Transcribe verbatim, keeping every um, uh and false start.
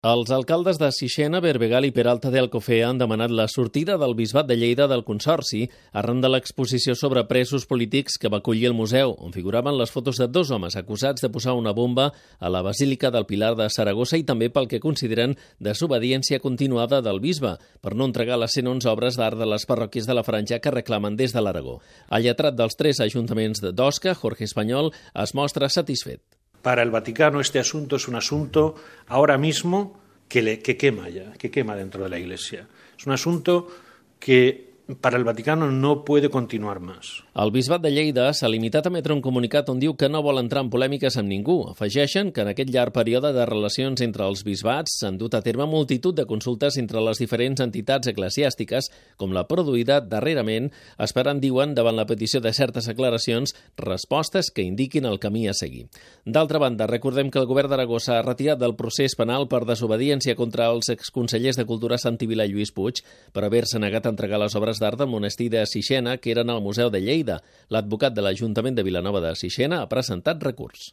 Els alcaldes de Sixena, Berbegal i Peralta de Alcofea han demanat la sortida del Bisbat de Lleida del Consorci arran de l'exposició sobre presos polítics que va acollir el museu, on figuraven les fotos de dos homes acusats de posar una bomba a la Basílica del Pilar de Saragossa i també pel que consideren desobediència continuada del bisbe per no entregar les cent onze obres d'art de les parròquies de la Franja que reclamen des de l'Aragó. El lletrat dels tres ajuntaments d'Osca, Jorge Español, es mostra satisfet. Para el Vaticano este asunto es un asunto ahora mismo que, le, que quema ya, que quema dentro de la Iglesia. Es un asunto que para el Vaticano no puede continuar más. El Bisbat de Lleida s'ha limitat a emetre un comunicat on diu que no vol entrar en polèmiques amb ningú. Afegeixen que en aquest llarg període de relacions entre els bisbats s'han dut a terme multitud de consultes entre les diferents entitats eclesiàstiques, com la produïda darrerament, esperant, diuen, davant la petició de certes aclaracions, respostes que indiquin el camí a seguir. D'altra banda, recordem que el govern d'Aragó s'ha retirat del procés penal per desobediència contra els exconsellers de Cultura Santi Vila i Lluís Puig per haver-se negat a entregar les obres d'art del monestir de Sixena, que eren al Museu de Lleida. L'advocat de l'Ajuntament de Vilanova de Sixena ha presentat recurs.